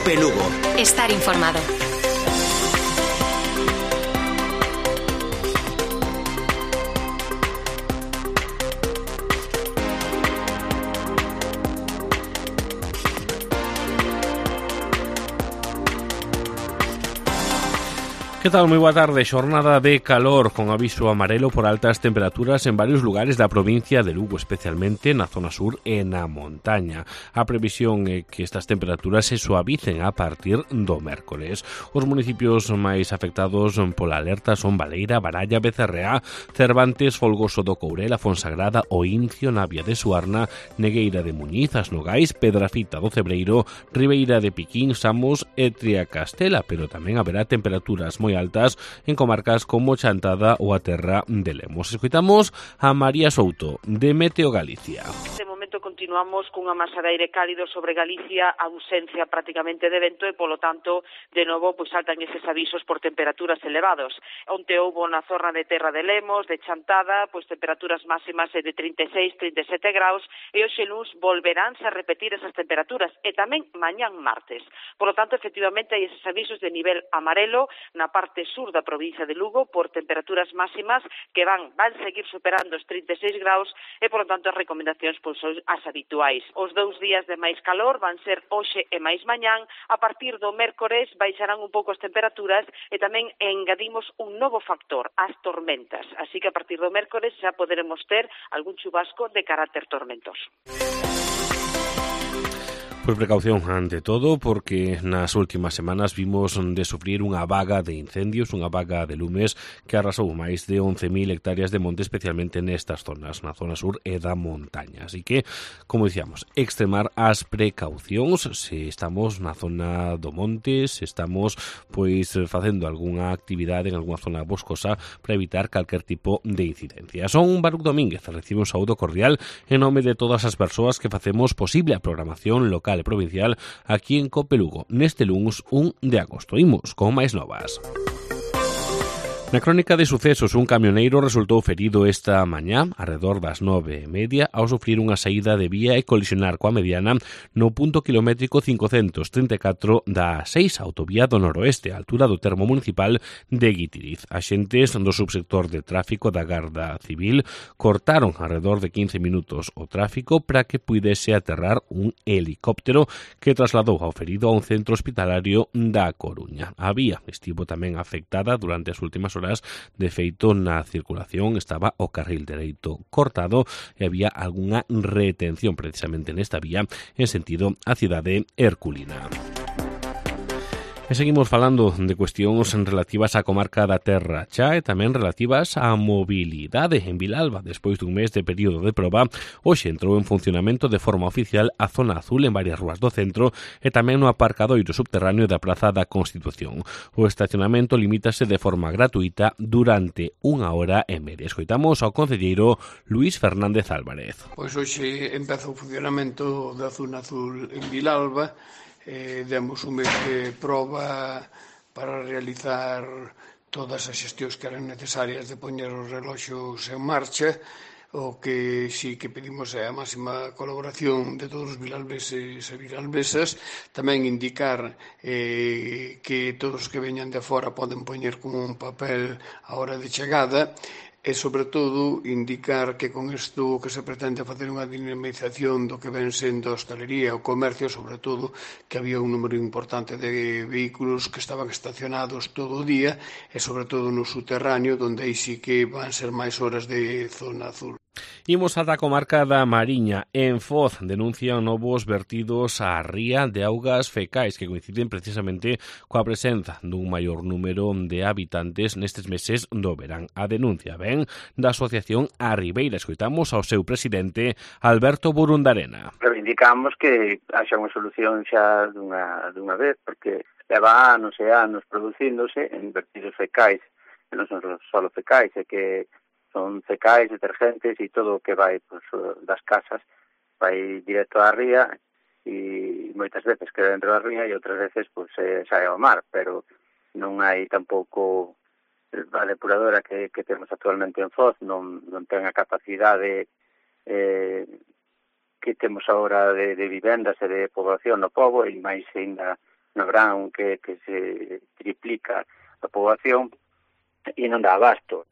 Cope Lugo. Estar informado. Que tal? Moi boa tarde. Xornada de calor con aviso amarelo por altas temperaturas en varios lugares da provincia de Lugo, especialmente na zona sur e na montaña. A previsión é que estas temperaturas se suavicen a partir do mércores. Os municipios máis afectados pola alerta son Baleira, Baralla, Becerreá, Cervantes, Folgoso do Courel, a Fonsagrada, o Incio, Navia de Suarna, Negueira de Muñiz, As Nogais, Pedrafita do Cebreiro, Ribeira de Piquín, Samos e Triacastela, pero tamén haberá temperaturas moi altas en comarcas como Chantada ou a Terra de Lemos. Escoitamos a María Souto, de Meteo Galicia. De momento continuamos cunha masa de aire cálido sobre Galicia, ausencia prácticamente de vento e, polo tanto, de novo, saltan eses avisos por temperaturas elevados. Onte houbo na zona de Terra de Lemos, de Chantada, temperaturas máximas de 36, 37 graus, e hoxe luns volveránse a repetir esas temperaturas, e tamén mañán martes. Por lo tanto, efectivamente, hai eses avisos de nivel amarelo na parte sur da provincia de Lugo por temperaturas máximas que van seguir superando os 36 graus e, por lo tanto, as recomendacións son as habituais. Os 2 días de máis calor van ser hoxe e máis mañán. A partir do mércores baixarán un pouco as temperaturas e tamén engadimos un novo factor, as tormentas. Así que a partir do mércores xa poderemos ter algún chubasco de carácter tormentoso. Pois precaución ante todo, porque nas últimas semanas vimos de sufrir unha vaga de incendios, unha vaga de lumes que arrasou máis de 11.000 hectáreas de monte, especialmente nestas zonas, na zona sur e da montaña. Así que, como dicíamos, extremar as precaucións se estamos na zona do monte, se estamos facendo algunha actividade en algunha zona boscosa para evitar calquer tipo de incidencia. Son Baruc Domínguez, recibe un saúdo cordial en nome de todas as persoas que facemos posible a programación local e provincial aquí en Cope Lugo, neste luns 1 de agosto. Imos con máis novas. Na crónica de sucesos, un camioneiro resultou ferido esta mañá, arredor das 9:30, ao sufrir unha saída de vía e colisionar coa mediana no punto kilométrico 534 da A6, autovía do noroeste, a altura do termo municipal de Guitiriz. Axentes do subsector de tráfico da Garda Civil cortaron arredor de 15 minutos o tráfico para que puidese aterrar un helicóptero que trasladou ao ferido a un centro hospitalario da Coruña. A vía estivo tamén afectada durante as últimas horas. De feito, na circulación estaba o carril dereito cortado e había algunha retención precisamente nesta vía en sentido a cidade herculina. E seguimos falando de cuestións relativas á comarca da Terra Cha e tamén relativas á mobilidade en Vilalba. Despois dun mes de período de proba, hoxe entrou en funcionamento de forma oficial a zona azul en varias rúas do centro e tamén no aparcadoiro subterráneo da Praza da Constitución. O estacionamento limítase de forma gratuita durante 1h30. Escoitamos ao concelleiro Luís Fernández Álvarez. Pois hoxe empeza o funcionamento da zona azul en Vilalba. Demos un mes de proba para realizar todas as xestións que eran necesarias de poñer os reloxos en marcha. O que sí que pedimos é a máxima colaboración de todos os vilalbeses e vilalbesas. Tamén indicar que todos os que veñan de fora poden poñer como un papel a hora de chegada. E, sobre todo, indicar que con isto que se pretende facer unha dinamización do que ven sendo a hostalería e o comercio, sobre todo, que había un número importante de vehículos que estaban estacionados todo o día e, sobre todo, no subterráneo, onde aí sí que van ser máis horas de zona azul. Imos ata a comarca da Mariña. En Foz denuncian novos vertidos á ría de augas fecais que coinciden precisamente coa presenza dun maior número de habitantes nestes meses do verán. A denuncia ven da Asociación A Ribeira. Escoitamos ao seu presidente, Alberto Burundarena. Reivindicamos que haxa unha solución xa dunha vez, porque leva anos e anos producíndose en vertidos fecais, e non son só fecais, é que son fecais, detergentes e todo o que vai das casas vai directo á ría e moitas veces queda dentro da ría e outras veces sae ao mar, pero non hai tampouco a depuradora que temos actualmente en Foz non ten a capacidade que temos agora de vivendas e de poboación no pobo e máis ainda no verán que se triplica a poboación e non dá abasto.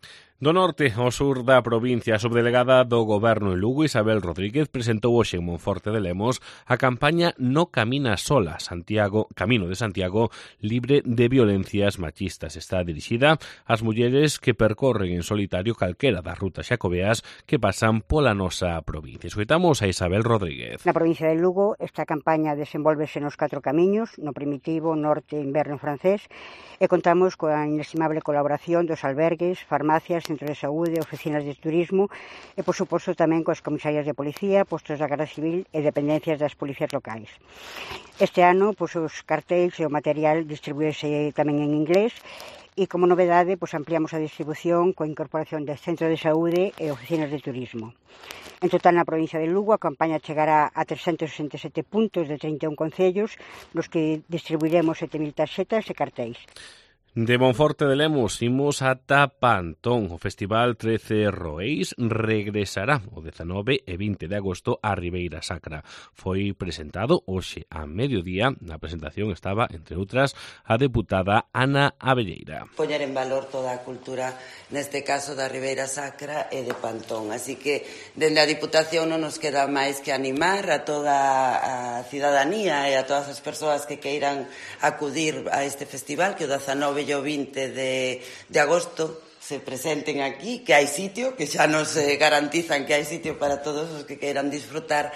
Do norte ao sur da provincia, a subdelegada do Goberno en Lugo, Isabel Rodríguez, presentou hoxe en Monforte de Lemos a campaña No camina sola, Camino de Santiago, libre de violencias machistas. Está dirixida ás mulleres que percorren en solitario calquera das rutas xacobeas que pasan pola nosa provincia. Escoitamos a Isabel Rodríguez. Na provincia de Lugo, esta campaña desenvolvese nos 4 camiños, no primitivo, norte, inverno francés, e contamos coa inestimable colaboración dos albergues, farmacias, centros de saúde, oficinas de turismo e, por suposto, tamén coas comisarias de policía, postos da Garda Civil e dependencias das policías locais. Este ano, os cartéis e o material distribuíse tamén en inglés e, como novedade, ampliamos a distribución coa incorporación de centros de saúde e oficinas de turismo. En total, na provincia de Lugo, a campaña chegará a 367 puntos de 31 concellos, nos que distribuiremos 7.000 tarxetas e cartéis. De Monforte de Lemos imos ata Pantón. O Festival 13 Roeis regresará o 19 e 20 de agosto a Ribeira Sacra. Foi presentado hoxe a mediodía. Na presentación estaba, entre outras, a deputada Ana Abelleira. Poñer en valor toda a cultura, neste caso da Ribeira Sacra e de Pantón. Así que, dende a Diputación non nos queda máis que animar a toda a cidadanía e a todas as persoas que queiran acudir a este festival, que o 19 e o 20 de agosto se presenten aquí, que hai sitio, que xa nos garantizan que hai sitio para todos os que queiran disfrutar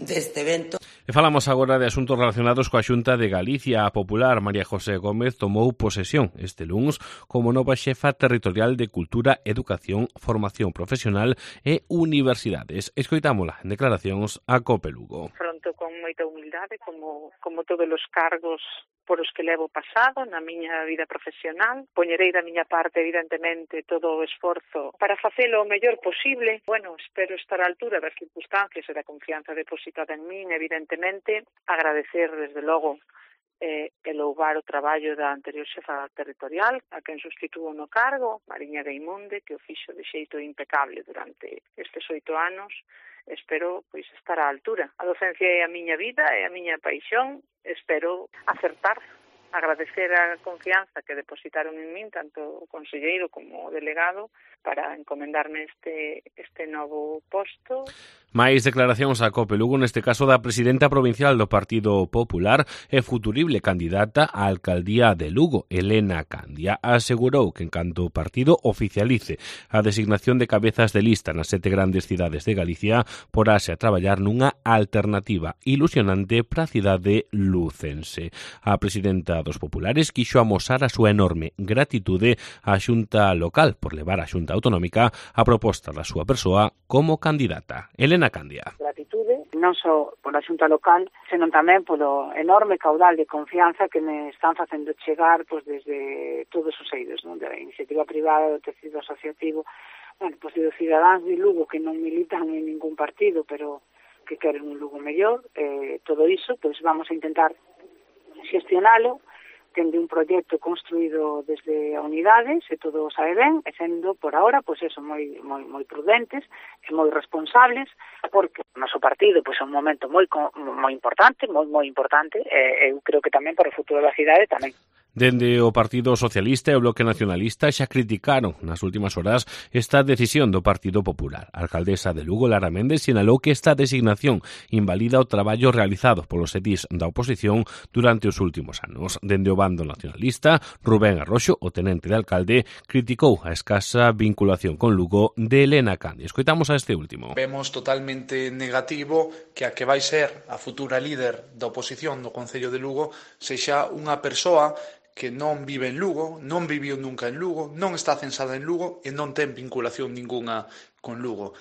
deste evento. E falamos agora de asuntos relacionados coa Xunta de Galicia. A popular María José Gómez tomou posesión este luns como nova xefa territorial de Cultura, Educación, Formación Profesional e Universidades. Escoitámola en declaracións a COPE Lugo. Afronto con moita humildade como todos os cargos por os que levo pasado na miña vida profesional. Poñerei da miña parte, evidentemente, todo o esforzo para facelo o mellor posible. Bueno, espero estar á altura das circunstancias e da confianza depositada en min, evidentemente. Agradecer, desde logo, e louvar o traballo da anterior xefa territorial, a quen sustituo no cargo, Mariña Gaimunde, que o fixo de xeito impecable durante estes 8 anos. Espero estar á altura. A docencia é a miña vida, é a miña paixón. Espero acertar, agradecer a confianza que depositaron en min, tanto o conselleiro como o delegado, para encomendarme este novo posto. Máis declaracións a COPE Lugo, neste caso da presidenta provincial do Partido Popular e futurible candidata á alcaldía de Lugo, Elena Candia. Asegurou que en canto o partido oficialice a designación de cabezas de lista nas 7 grandes cidades de Galicia, porase a traballar nunha alternativa ilusionante para a cidade lucense. A presidenta dos populares quixo amosar a súa enorme gratitude á Xunta local por levar á Xunta autonómica a proposta da súa persoa como candidata. Elena Candia. Gratitude, non só pola Xunta local, senón tamén polo enorme caudal de confianza que me están facendo chegar desde todos os eidos, non? Da iniciativa privada, do tecido asociativo, dos cidadáns de Lugo que non militan en ningún partido, pero que queren un Lugo mellor. Todo iso, vamos a intentar xestionalo, tende un proxecto construído desde a unidade, se todo sabe ben, e sendo por ahora, moi prudentes e moi responsables, porque o noso partido é un momento moi importante, moi importante, e eu creo que tamén para o futuro da cidade tamén. Dende o Partido Socialista e o Bloque Nacionalista xa criticaron nas últimas horas esta decisión do Partido Popular. A alcaldesa de Lugo, Lara Méndez, sinalou que esta designación invalida o traballo realizado polos edís da oposición durante os últimos anos. Dende o bando nacionalista, Rubén Arroxo, o tenente de alcalde, criticou a escasa vinculación con Lugo de Elena Candia. Escoitamos a este último. Vemos totalmente negativo que a que vai ser a futura líder da oposición do Concello de Lugo sexa unha persoa que non vive en Lugo, non viviu nunca en Lugo, non está censada en Lugo e non ten vinculación ninguna con Lugo.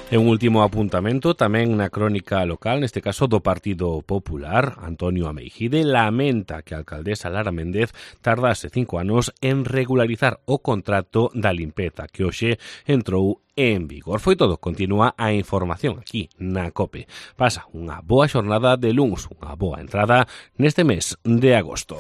E un último apuntamento tamén na crónica local, neste caso do Partido Popular. Antonio Ameijide lamenta que a alcaldesa Lara Méndez tardase 5 anos en regularizar o contrato da limpeza que hoxe entrou en vigor. Foi todo, continúa a información aquí na COPE. Pasa unha boa xornada de luns, unha boa entrada neste mes de agosto.